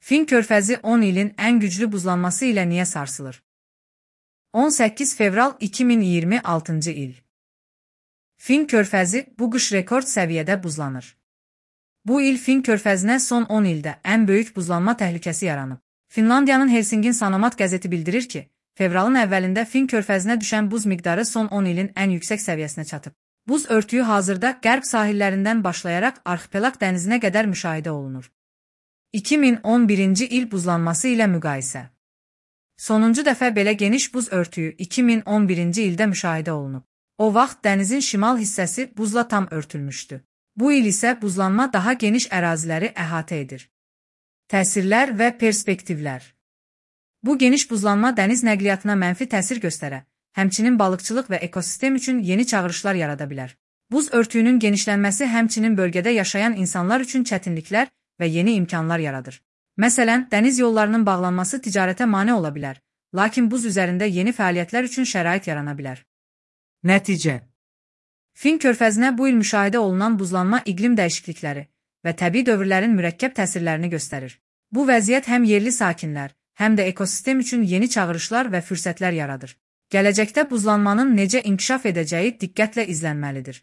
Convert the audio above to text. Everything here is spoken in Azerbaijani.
Fin körfəzi 10 ilin ən güclü buzlanması ilə niyə sarsılır? 18 fevral 2026 il. Fin körfəzi bu qış rekord səviyyədə buzlanır. Bu il Fin körfəzinə son 10 ildə ən böyük buzlanma təhlükəsi yaranıb. Finlandiyanın Helsingin Sanomat qəzeti bildirir ki, fevralın əvvəlində Fin körfəzinə düşən buz miqdarı son 10 ilin ən yüksək səviyyəsinə çatıb. Buz örtüyü hazırda qərb sahillərindən başlayaraq Arxipelaq dənizinə qədər müşahidə olunur. 2011-ci il buzlanması ilə müqayisə. Sonuncu dəfə belə geniş buz örtüyü 2011-ci ildə müşahidə olunub. O vaxt dənizin şimal hissəsi buzla tam örtülmüşdü. Bu il isə buzlanma daha geniş əraziləri əhatə edir. Təsirlər və perspektivlər. Bu geniş buzlanma dəniz nəqliyyatına mənfi təsir göstərə, həmçinin balıqçılıq və ekosistem üçün yeni çağırışlar yarada bilər. Buz örtüyünün genişlənməsi həmçinin bölgədə yaşayan insanlar üçün çətinliklər və yeni imkanlar yaradır. Məsələn, dəniz yollarının bağlanması ticarətə mane ola bilər, lakin buz üzərində yeni fəaliyyətlər üçün şərait yarana bilər. Nəticə. Fin körfəzinə bu il müşahidə olunan buzlanma iqlim dəyişiklikləri və təbii dövrlərin mürəkkəb təsirlərini göstərir. Bu vəziyyət həm yerli sakinlər, həm də ekosistem üçün yeni çağırışlar və fürsətlər yaradır. Gələcəkdə buzlanmanın necə inkişaf edəcəyi diqqətlə izlənməlidir.